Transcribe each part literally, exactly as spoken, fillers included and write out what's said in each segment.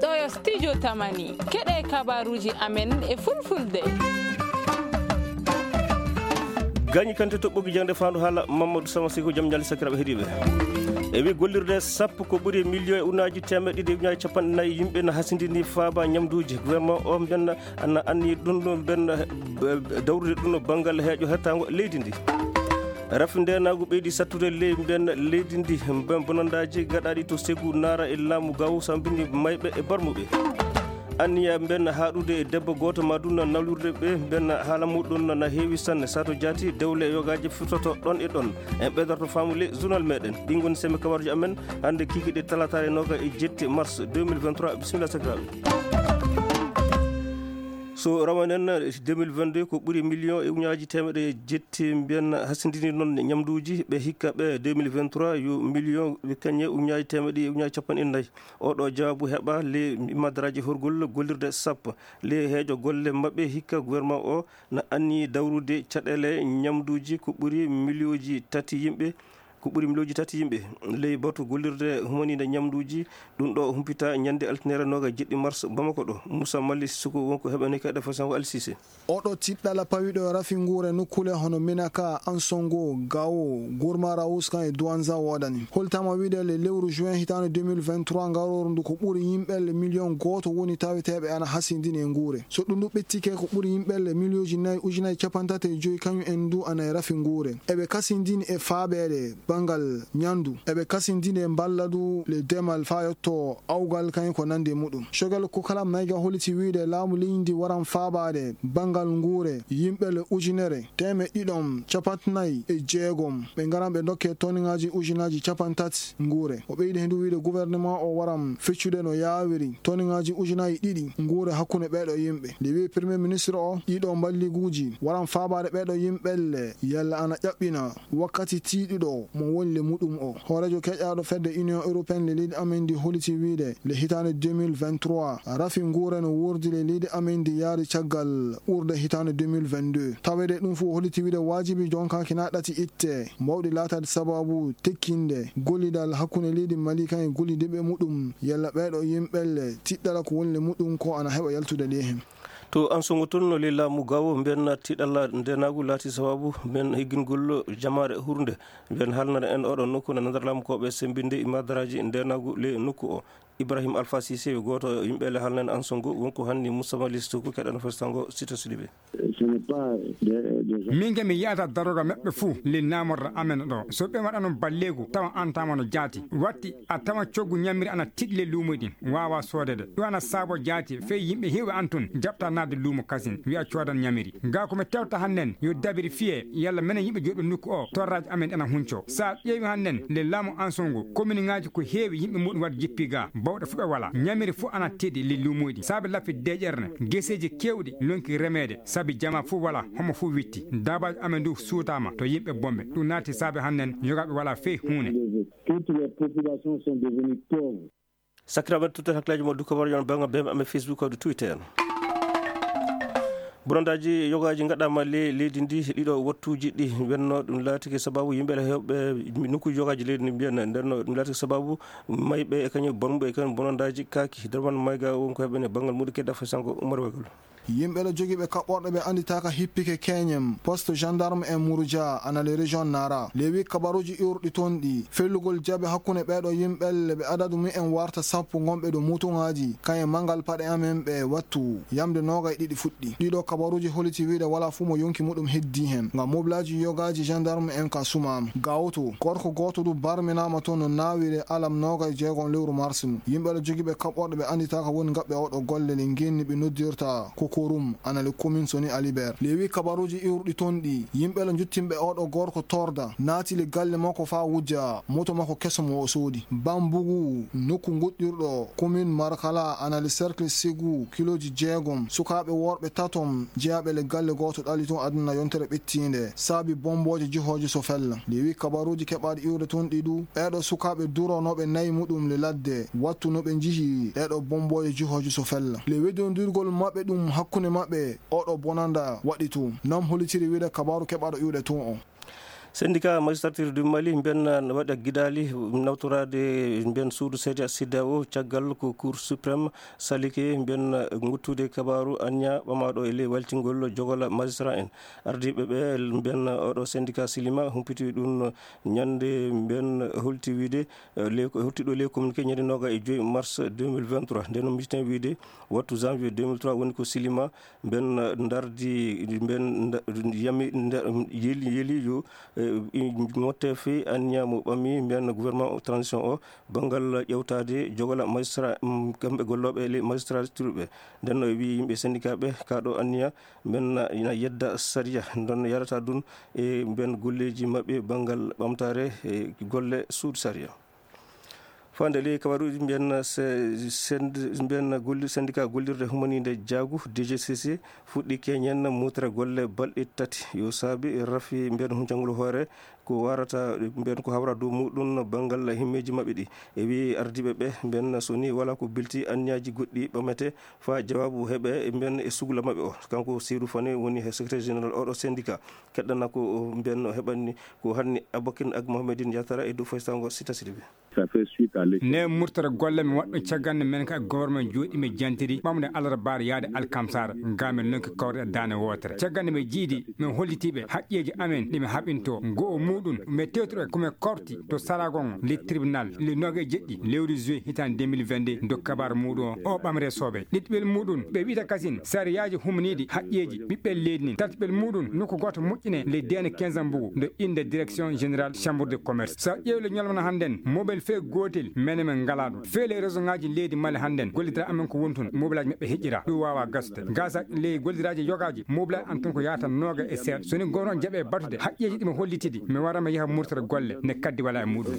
Ɗo yo studio Tamani, keɗe kabaruuji amen e fulfulde. Gañi kante toɓɓoki jaŋde faandu haala Mamadou Sama Siko, jam ñaali sakiraaɓe heɗiiɓe. E wi gollirde sappo ko ɓuri million e ujunnaaji teemeɗe ɗiɗi e ujunnaaji capanɗe nayi yimɓe na hasindini faaba ñamduuji. Gouvernement o mbenna ana anni ɗum ɗo mbenna, eh, dawrude ɗum ɗo banngal heeƴo hettaango leydi ndi. Rafi ndeenaagu ɓeydi sattude ley mbenna leydi ndi, mben bonandaaji gaɗaaɗi to Segu Naara e laamu Gawo sambini mayɓe e barmuɓe. Anniya mbenna haaɗude e debbo gooto ma dunna nawlirde ɓe mbenna haala muɗum na heewi sanne. Sato jaati dewle e yogaaji furtoto ɗon e ɗon. En ɓeydorto faamu ley journal meɗen. Ɗi ngoni semme kabaruuji amen hannde kikiɗe talataare nooga e jetti mars deux mille vingt-trois. Bisimilla sakiraaɓe. So rawanen deux mille vingt-deux ko ɓuri million e ujunnaaji teemeɗe jetti mbiyen hasindini noon ñamduuji ɓe hikka ɓe deux mille vingt-trois yo million ɓe kañe ujunnaaji teemeɗe e ujunnaaji capanɗe nayi. Oɗo jawaabu heɓa le madaraaji horgol gollirde sappo le heeƴo golle maɓɓe hikka gouvernement o na anni dawrude caɗeele ñamduuji ko ɓuri miliyooji tati yimɓe. Ko ɓuri miliyooji tati yimɓe ley batu gollirde humaniinde ñamduuji. Ɗum ɗo humpita ñande altine nooga jeɗɗi mars Bamako ɗo. Moussa Mali Sissoko wonko heɓani kayɗe fasango Alsise. Oɗo tiɗɗala pawiɗo e rafi nguure nukkule hono Minaka, Ansongo, Gawo, Gourma Raous kan e Douanza woodani. Holtama wiide le lewru juin hitaande deux mille vingt-trois ngarooru ndu ko ɓuri yimɓe le million gooto woni taweteeɓe ana hasindini e nguure. So ɗum ndu ɓettike ko ɓuri yimɓe le miliyooji nayi ujunnaaji capanɗe tati e joyi kañum en ndu ana e rafi nguure. Eɓe kasindini e faabeede banngal ñandu. Eɓe kasindini e mballa ndu le demal faa yotto awgal kañum ko nandi e muɗum. Cogel ko kala mayga holiti wiide laamu leydi ndi waran faabaade banngal nguure yimɓe le ujunere teemeɗɗe ɗiɗon capanɗe nayi e jeegom. Ɓe ngaran ɓe ndokke toniŋaaji ujunnaaji capanɗe tati nguure. O ɓeydi heen du wiide gouvernement o waran feccude no yaawiri toniŋaaji ujunnaaji ɗiɗi nguure hakkunde ɓeeɗo yimɓe. Nde wi'i Premier Ministre o, ɗiɗo mballiguuji waran faabaade ɓeeɗo yimɓe le yalla ana ƴaɓɓina wakkati tiiɗuɗo mo woni le muɗum o. Hooreejo keƴaaɗo fedde Union Européenne le leydi amen ndi holiti wiide le hitaande deux mille vingt-trois, rafi nguure no wuurdi le leydi amen ndi yaari caggal ɓurde hitaande deux mille vingt-deux. Tawede ɗum fof holiti wiide waajibi jonkaaki na ɗati itte mawɗi laataade sababu tekkinde gollidal hakkunde leydi Mali kan e gollidiiɓe muɗum, yalla ɓeeɗo yimɓe le tiɗɗala ko woni le muɗum ko ana heɓa yaltude le heen. To Ansongo toon no ley laamu Gawo, mbiyen tiɗɗala ndeenaagu laati sababu mbiyen higgingol jamaare hurnde. Mbiyen haalnana en oɗo nokku na nder laamu ko ɓe sembinde e madaraaji ndeenaagu ley nokku o. Ibrahim Alpha Cissé, gooto yimɓe le haalnan Ansongo, wonko hanni Moussa Mali Sissoko keɗano festango Sita Sidibé. Ce n'est pas des, des... Min ke mi yiyata daroga maɓɓe fuu le namorra amen ɗo. So ɓe waɗano balleegu, tawa an tama no jaati. Watti a tawa coggu ñamiri ana tiɗi le luumo ɗin, waawa soodede. Ɗum ana saabo jaati, fey yimɓe heewɓe an tun jaɓta naatde luumo kasin, wi'a coodan ñamiri. Gaa ko mi tewta hannen, yo dabiri fiye, yalla menen yimɓe joɗɗo nokku o, torraaji amen ana hunco. Sa ƴeewi hannen, le laamu Ansongo, kominiŋaaji ko heewi yimɓe muɗum waɗ jippi gaa, bawɗe fu ɓe wala. Ñamiri fu ana tiɗi le luumoyɗi. Saabe lappi deeƴerne, geseeji keewɗi lonki remeede, sabi jama fu wala, homo fu witti. Daabaaji amen du suutaama to yimɓe bomɓe. Ɗum naati saabe hannen, yogaaɓe wala fey huune. Toutes les populations sont devenues pauvres. Sakiraaɓe, tuttat hakkilaaji mon du kabaruuji on bannga B M amen Facebook, kawde Twitter. Bonandaaji yogaaji ngaɗaama le leydi ndi, ɗiɗo wattuuji ɗi wenno, ɗum laatike sababu yimɓe heewɓe nokkuuji yogaaji leydi ndi mbiyan, ndenno ɗum laatike sababu mayɓe e kañum bonɓe e kañum bonandaaji kaaki. Derman Mayga won ko heɓene banngal muɗum kedda fay sango Umar Wegol. Yimɓe le jogiiɓe kaɓɓorɗe ɓe annditaaka hippike Keñem, poste gendarme en Murja, ana le région Nara. Le wi kabaruuji iwruɗi toon ɗi, fellugol jabe hakkunde ɓeeɗo yimɓe le ɓe adadu mumen warta sappo ngonɓe ɗo mutuŋaaji, kañum manngal paɗe amen ɓe wattu, yamde noogay ɗiɗi fuɗɗi. Ɗiɗo kabaruuji holiti wiide walaa fuu mo yonki muɗum heddii heen. Ngam moblaaji yogaaji gendarme en ka sumaama. Gawoto, gorko gooto du barminaama toon no naawire alam noogay jeegom lewru mars ndu. Yimɓe le jogiiɓe kaɓɓorɗe ɓe annditaaka woni ngaɓɓe oɗo golle le ngenni ɓe noddirta Kokorum, ana le commune Soni Alibert. Le wi kabaruuji iwruɗi toon ɗi, yimɓe le njottinɓe oɗo gorko torda, naati le galle makko faa wujja moto makko keso mo o soodi. Bambugu, nokku ngoɗɗirɗo commune Markala, ana le cercle Segu, kilooji jeegom, sukaaɓe worɓe tatom, jeyaaɓe le galle gooto ɗali toon aduna yontere ɓettiinde, saabi bombooje jihooje so fella. Le wi kabaruuji keɓaaɗi iwde toon ɗi du, ɓeeɗo sukaaɓe duronooɓe nayi muɗum le ladde, wattu no ɓe njihi ɗeeɗo bombooje jihooje so fella. Le weddondirgol maɓɓe ɗum hakkunde maɓɓe, oɗo bonanda waɗi toon. Nam holitiri wiide kabaaru keɓaaɗo iwde toon o. Syndicat magistrature du Mali mben waɗa gidaali nawtoraade mben suudu sariya C E D E A O, caggal ko Cour suprême salike mben nguttude kabaaru anniya ɓamaaɗo e ley waltingol jogola magistrat en. Ardiiɓe ɓe mben oɗo syndicat silima humpiti ɗum ñande mben holti wiide, eh, le, holti ɗo le communiqué ñande noga e joyi mars deux mille vingt-trois. Nden no mbiten wiide wattu janvier deux mille trois woni ko silima mben, eh, ndardi mben nda-, yami nda-, yeli, yeli yo, eh, i-, motte fii anniya mo ɓami mben gouvernement o transition o banngal ƴewtaade jogola magistrat, mm, kamɓe gollooɓe e ley magistrature ɓe. Nden no e wii yimɓe syndicat ɓe kaɗo anniya mben na, ina yedda sariya, nden no yarata ɗum e mben golleeji maɓɓe banngal ɓamtaare e golle suudu sariya. Fande ley kabaruuji mbiyen se-, send-, mbiyen golli-, syndicat gollirde humaniinde jaagu, D G C C, fuɗɗi keñen mutre golle balɗe tati. Yo saabi rafi mbiyen huncangol hoore ko warata mbiyen ko hawra dow muɗum banngal himmeeji maɓɓe ɗi. E wi ardiiɓe ɓe mbiyen so ni wala ko bilti anniyaaji goɗɗi ɓamete faa jawaabu heɓe mbiyen e sugla maɓɓe o. Kanko Seydou Fane woni he secrétaire général oɗo syndicat. Keɗɗana ko mbiyen no heɓanni ko hanni Abokin ak Mohamedine Yatara e dow faysango Sita Sidibé. Ça fait suite à l'échec. Ne murtere golle mi waɗɗo caggal nde men ka gouvernement jooɗi mi jantiri ɓamde alarbaare yaade alkamsara. Ga men nonki kawre e daane wootere. Caggal nde mi jiidi mi hollitiiɓe haqqeeji amen ɗi mi haɓinto. Ngo o muɗum mi tewtuɗo ko mi korti to Saragon le tribunal le noge jeɗɗi lewru juin hitande deux mille vingt-deux. Ndo kabar muɗum o ɓamre soɓe. Ɗiɗɓel muɗum ɓe wi'ata kasin sariyaaji humniiɗi haqqeeji ɓiɓɓe leydi nin. Tatɓel muɗum nokku gooto moƴƴine le dene quinze mbugu ndo innde direction générale chambre de commerce. So ƴeewle ñalmana hannden mobile fee gootel mene men ngalaa ɗum. Fee le réseau ŋaaji leydi Mali hannden gollidira amen ko woni tun mobilaaji maɓɓe heƴƴira. Ɗum waawaa gasude. Gasa ley gollidiraaji yogaaji mobilaaji an tun ko yaata nooga e seeɗa. So ni gooto on jaɓe batude haqqeeji ɗi mo hollitidi mi wara mi yaha murtere golle ne kaddi wala e muɗum.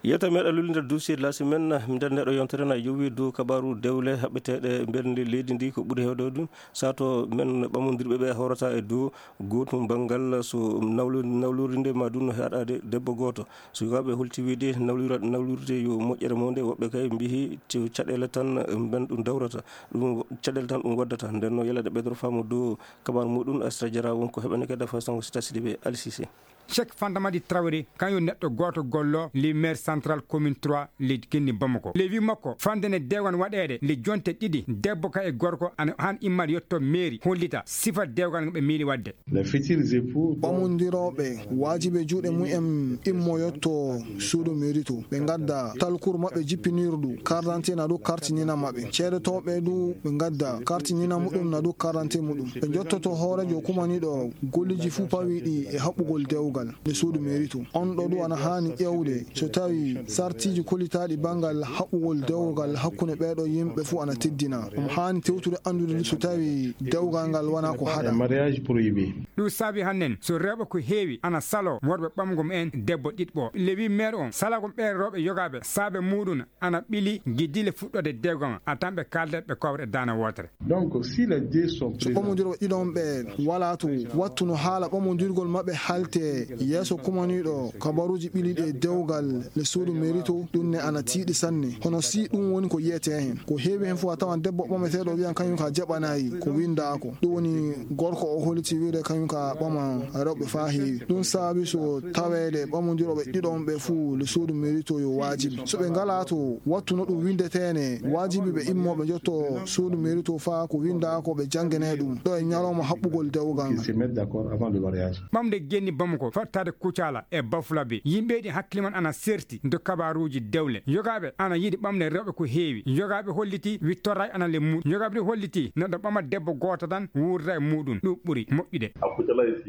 Yewtere meɗen lulnde dossier de la semaine, nder ndeɗo yontere na yowi dow kabaru dewle haɓɓeteɗe mbernde leydi ndi ko ɓuri hewde ɗum. Sato men ɓamondirɓe ɓe hawrata e dow gootum banngal so nawlu-, nawlurinde ma ɗum no haɗade debbo gooto. Sukaaɓe holti wiide nawlira-, nawlirde yo moƴƴere mawde, woɓɓe kay mbihi te caɗeele tan mben ɗum dawrata, ɗum caɗeele tan ɗum waddata. Nden no yalade ɓeydoro faamu dow kabaru muɗum Astra Jara won ko heɓane kadi façon Sita Sidibé Alsise. Cheikh Fanta Madi Traoré, kañum neɗɗo gooto gollo le maire central commune trois leydi Kenni Bamako. Le wi makko, fande ne dewgan waɗeede le jonte ɗiɗi, debbo ka e gorko ana han immat yetto mairie hollita sifa dewgal ngo ɓe miili waɗde. Les futurs époux. Ɓamondirooɓe, waajibi e juuɗe mumen immo yetto suudu mairie to. Ɓe ngadda talkur maɓɓe jippinirdu, carte d'identité na ɗum carte ñina maɓɓe. Ceedetooɓe du ɓe ngadda carte ñina muɗum na ɗum carte d'identité muɗum. Ɓe njottoto hooreejo kumaniiɗo golleeji fuu pawiiɗi e haɓɓugol dewgal nde suudu mairie to. On ɗo ɗum ana haani ƴeewde so tawi sartiiji kollitaaɗi banngal haɓɓugol dewgal hakkunde ɓeeɗo yimɓe fuu ana teddina. Omo haani tewtude anndude ndu so tawi dewgal ngal wonaa ko haɗa. Mariage prohibé. Ɗum saabi hannden so rewɓe ko heewi ana saloo worɓe ɓamgo mumen debbo ɗiɗɓo. Le wi maire on salagol ɓeen rewɓe yogaaɓe saabe muɗum ana ɓili giddiile fuɗɗoode dewgal a tan ɓe kaalda ɓe kowre daana wootere. Donc, si les deux sont so présents. Ɓamondirɓe ɗiɗon ɓe wala to wattu no haala ɓamondirgol maɓɓe halte yeeso kumaniiɗo kabaruuji ɓiliɗi e dewgal le suudu mairie to, ɗum ne ana tiiɗi sanne. Hono si ɗum woni ko yiyetee heen. Ko heewi heen fof a tawan debbo ɓameteeɗo wiyan kañum ka jaɓanayi ko winndaako. Ɗum woni gorko o holliti wiide kañum ka ɓama rewɓe faa heewi. Ɗum saabi so taweede ɓamondirooɓe ɗiɗon ɓe fuu le suudu mairie to yo waajibi. So ɓe ngalaa to wattu no ɗum winndetee ne, waajibi ɓe immoo ɓe njotto suudu mairie to faa ko winndaa ko ɓe janngene ɗum ɗo e ñalawma haɓɓugol dewgal ngal. Ils se mettent d'accord avant le mariage. Ɓamde Genni Bamako, fattaade Kucala e Bafulabe. Yimɓeeji hakkille mon ana serti do kabaruuji dewle. Yogaaɓe ana yiɗi ɓamde rewɓe ko heewi. Yogaaɓe holliti wittoray ana le muɗum. Yogaaɓe ɗi holliti neɗɗo ɓama debbo gooto tan wuurda e muɗum. Ɗum ɓuri moƴƴude.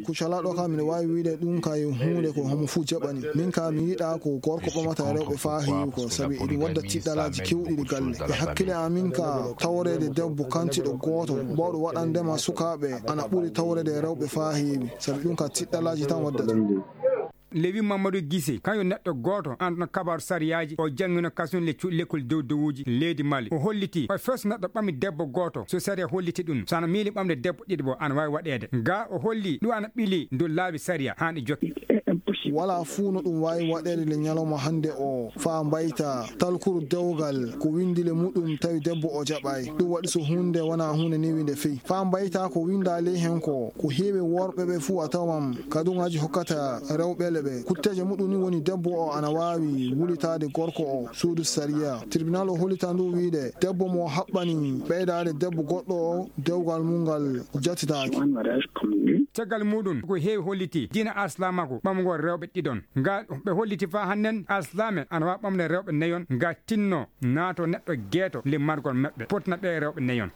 Kucala ɗo kam, miɗo waawi wiyde ɗum kay huunde ko homo fuu jaɓani. Min ka mi yiɗaa ko gorko ɓamata rewɓe faa heewi ko, sabi eɗum wadda tiɗɗalaaji keewɗi ɗi galle. E hakkille am min ka, taworeede debbo kantiɗo gooto, mbawɗo waɗandema sukaaɓe, ana ɓuri taworeede rewɓe faa heewi, sabi ɗum ka tiɗɗalaaji tan waddata. Lewi Mamadou Guissé, kañum neɗɗo gooto anɗo kabaaru sariyaaji, o janngino kasun le cuuɗi lekkol dow dowuuji leydi Mali. O holliti, o fes neɗɗo ɓami debbo gooto, so sariya holliti ɗum, so ana miili ɓamde debbo ɗiɗi bo, ana waawi waɗeede. Ga o holli, ɗum ana ɓili dow laabi sariya, haani jokke. Wala fuu no ɗum waawi waɗeede le ñalawma hannde o, faa mbayta talkuru dewgal ko winndi le muɗum tawi debbo o jaɓaay. Ɗum waɗi so huunde wona huunde newi nde fey. Faa mbayta ko winndaa ley hen ko, ko heewi worɓe ɓe fuu a tawan kaduŋaaji hokkata rewɓe le ɓe. Kutteeje muɗum ni woni debbo o ana waawi wulitaade gorko o suudu sariya. Tribunal o hollita ndu wiide debbo mo haɓɓani ɓeydaade debbo goɗɗo o dewgal mum ngal jatitaaki. Caggal muɗum ko heewi holliti diina alsilaamaaku ɓamugol rewɓe ɗiɗon. Nga ɓe holliti faa hannden alsilaame ana waawi ɓamde rewɓe neyon nga tinno naato neɗɗo geeto le margol maɓɓe potna ɓe rewɓe neyon.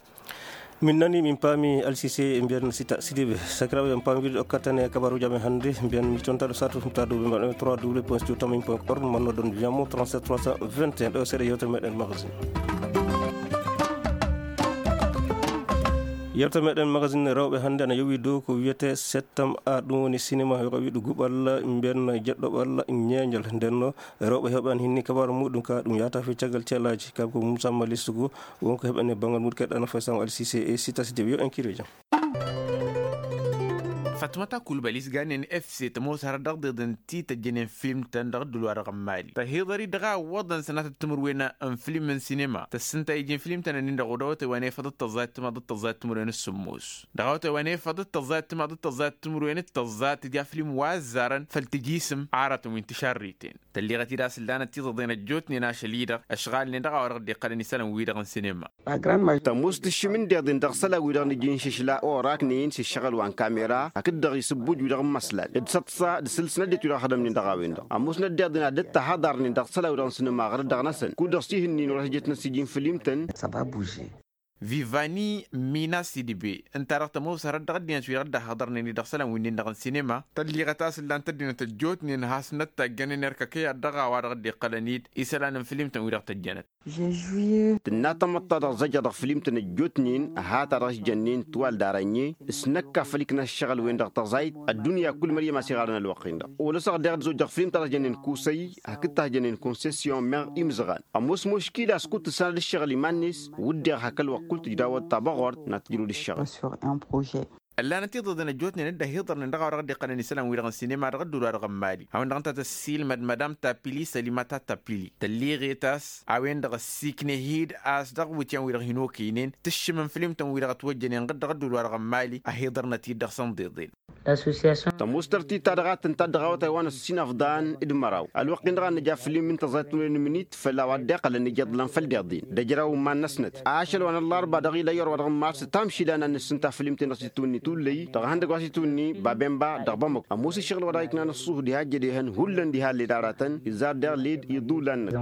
Min nani, min paami Alsise e mbiyan Sita Sidibe. Sakiraaɓe, en paami wiide ɗo kattane kabaruuji amen hannde. Mbiyan mi tontaɗo satu fumta dow ɓe mbaɗa trois w point studio tamin point org, manno ɗon wiyamo trente-sept trois cent vingt et un. Ɗo seeɗa yewtere meɗen magazine. Yewtere meɗen magazine rewɓe hannde ana yowi dow ko wiyete septam a, ɗum woni cinéma, yo ko wiɗu guɓal, mbiyan jeɗɗoɓal, ñeeñal. Nden no rewɓe heɓan hinni kabaru muɗum ka, ɗum yahata fi caggal ceelaaji. Kanko Moussa Malistugu, wonko heɓan e banngal muɗum keɗɗano fay Sam Alsise e Sita Sidibe. Yo en kiro jam. Fatmata Koulibaly si ganen F C ta mo sara dax de den ti ta jenen film ta ndax dulwa dax mali. Ta hidari daga wadan sanata tumur wena an film en cinéma. Ta sinta ijin film ta na ninda godo ta wane fada ta zai tuma da ta zai tumur wena sumus. Daga ta wane fada ta zai tuma da ta zai tumur wena ta zai ta ja film wa zaran fal tijisim ara ta winti sharritin. Ta liga ti da sildana ti ta dena jotni na shalida ashgal ne daga warak de qadani salam wi daga cinéma. Ta mus ti shimin de din daga sala wi daga ni jin shishla o rak ni yin shi shagal wan kamera akid daga yisbuj wi daga maslal. Id satsa da silsna de tu daga hadam ni daga winda. A mus na de din a de ta hadar ni daga sala wi daga cinéma gar daga nasan. Ku daga si hinni no rasa jetna si jin film tan. Ça va bouger. Vivani Mina Sidibe, inta daga ta mus harar daga din tu daga hadar ni daga salam wi daga cinéma. Ta liga ta sildan ta dina ta jotni na hasnat ta ganin erka kaya daga wa daga de qalanit. Isalan film tan wi daga ta janat. Tinna tamatta daɣ zaja daɣ filimtǝn ăjjootnen, a hata daɣ s-jănnen tuwal dara ǝnye s-năkka făl-ikna ăššăɣǝl-wen-dăɣ tăẓayt. Ăddunya kull măryăm a-s iɣarăn ălwăqq-in-dăɣ. Olăsăɣ daɣ d-zojjăɣ filimtăn a s-jănnen kusăy hakd ta s-jănnen konsesyon meɣ imzăɣan. Ămoos muškila a-s kud-tǝssanăd ǝššăɣǝl iman-net. Wǝdden hak ălwăqq kull tǝjdawăt tabăɣort n-ad-tǝjrǝwăd ǝššăɣǝl. Sur un projet. Ăllanăt iḍăḍăn ăjjootnen dd-ăhiḍărnen dăɣ-a-wa dăɣ-dd-iqqălăn isălan-wi-dăɣ n-sinema dăɣ-ădduul-wa-dăɣ n-mali a-wen-dăɣ ǝnta tăssiilmăd madam tapili sălimata tapili tălliɣet a-s a-wen-dăɣ ăssiiknehid a-s dăɣ-iwǝtyan-wi-dăɣ hin-okăynen tǝššǝmăn filimtăn-wi-dăɣ ătwăjjănen ɣǝd dăɣ-ădduul-wa-dăɣ n-mali. Ăhiḍărnăt-dd dăɣ-săn ḍeḍen. Tămoos tărtit-ta-dăɣ a tǝnta dd-ăɣawăt a iwanăt s-inăfḍan d-măraw ălwăqq-in-dăɣ a nǝja fǝllim n-tăẓayt timǝrwen n-imǝnit făll-a-wa dd-iqqălăn ijăḍlăn făll-deḍen d-ejăraw n-iman-năsnăt. Ašăl wa n-ăllarba dăɣ-ila i-orwa dăɣ-mars tămšila n-ad-nǝssǝnta fǝllim-ten-dăɣ s-itwǝnni tullăy dăɣ-ihăndăgg wa s-itwǝnni babemba dăɣ-bamăk. Ămoos ǝššăɣǝl wa dăɣ-iknan ăṣṣuh diha ăjjăd ihăn hullan diha led aratăn izar deɣ led iḍulan-năt.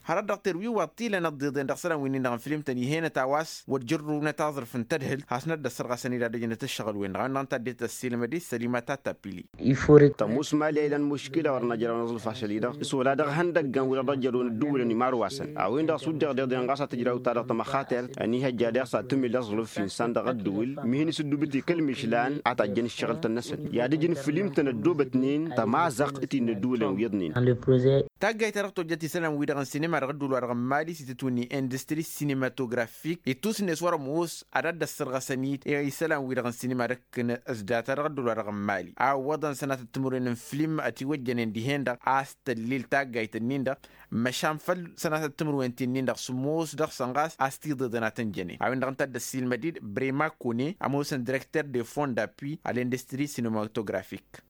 Hărăt dăɣ-terwi wa t-ilăn ăḍḍiḍen dăɣ-isălan wi-nin-dăɣ n-filimtăn ihenăt a-wa s-wăr jărrǝwnăt aẓrǝf n-tadhǝlt hasnăt dd-ăssărɣasăn-dd ad-ăjnăt ǝššăɣǝl-wen-dăɣ a-wen-dăɣ ǝnta a dd-tăssilmăd-i sălimata tapili. Tămoos mali a ilan muškila wăr năjrăw n-aẓrǝf ašăl-i-dăɣ s-wăla dăɣ-ihăndăggan wi-dăɣ dd-ăjrăwăn ădduwǝlăn imarwasan a-wen-dăɣ s-wǝdden deḍen ɣas a tǝjraw-ta dăɣ-tămăxatert. Ăniihăjja deɣ s-ad-tǝmǝl d-aẓrǝf insan dăɣ-ădduwǝl mihin s-ăddubǝt i-kăl-mišlan a tajjăn ǝššăɣǝl-tăn-năsăn i-ad-ǝjǝn fǝllim-tăn ăddoobătnen tămazăɣt t-innă ădduwǝlăn wi iyyăḍnen. Taggayt-ta-dăɣ tojjăt isălan-wi-dăɣ n-sinima dăɣ-ădduul-wa-dăɣ n-mali s-itǝtwǝnni industri cinématographique ittusnet wăr-ămoos ad-dd-ăssărɣăsăn-dd i-isălan-wi-dăɣ n-sinima d-ǝkkǝn s-data dăɣ-ădduul-wa-dăɣ n-mali a ǝwwăḍăn sănatăt timǝrwen n-filim ătiwăjjănen dihen-dăɣ a-s tăllil taggayt-nin-dăɣ. Măšan făll-sănatăt timǝrwen ti-nin-dăɣ s-ămoos dăɣ-săn ɣas a-s tiḍeḍăn ad-tăn-jănen a-wen-dăɣ ǝnta a dd-ăssiilmăd-dd brema kone ămoosăn directeur de fond d'appui à l'industrie cinématographique.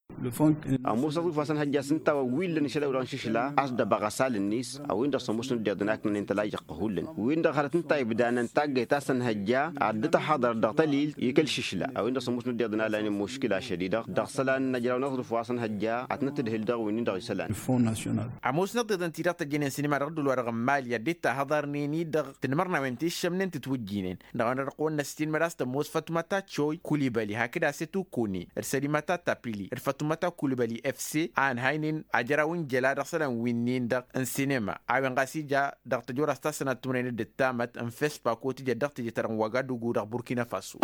Ămoos ăḍuf a săn hăjja s-ǝnta a-wa wi illăn išăl a-wi-dăɣ n-išǝšla a-s dd-ăbăɣ asal-net a-wen-dăɣ s-ămoosnăt deḍen a ǝknănen tălajăɣ kăhullăn wi-dăɣ hărăt ǝnta a ibdanan taggayt ta săn hăjja ad-dd-tăhhăḍărăt dăɣ-tălil i-kăl-išǝšla a-wen-dăɣ s-ămoosnăt deḍen a lanen muškila ašăl-i-dăɣ dăɣ-isălan n-ajraw n-aẓrǝf wa săn hăjja ad-tăn-tǝdhǝl dăɣ-wi-nin-dăɣ isălan. Ămoosnăt deḍen ti-dăɣ tăjjănen sinima dăɣ-ădduul-wa-dăɣ n-mali ad-dd-tahăḍarnen-i dăɣ-tinmărnawen ti ǝššămnen tǝtwǝjjinen dăɣ-a-wen-dăɣ dăɣ-kăwăn-năssiilmăd a-s tămoos fătumăta coy kulibăli hakd a-s etu kone d-sălimăta tapili d-fătumăta kulibăli efse a ănhaynen ajăraw n-jăla dăɣ-isălan wi-nin-dăɣ n-sinima a-wen ɣas ija dăɣ-tăjora s-tasănat timǝrwen d-ǝttamăt n-fespa kotǝjăt dăɣ-tǝjăt-ta-dăɣ n-wagadugu dăɣ-burkina faso.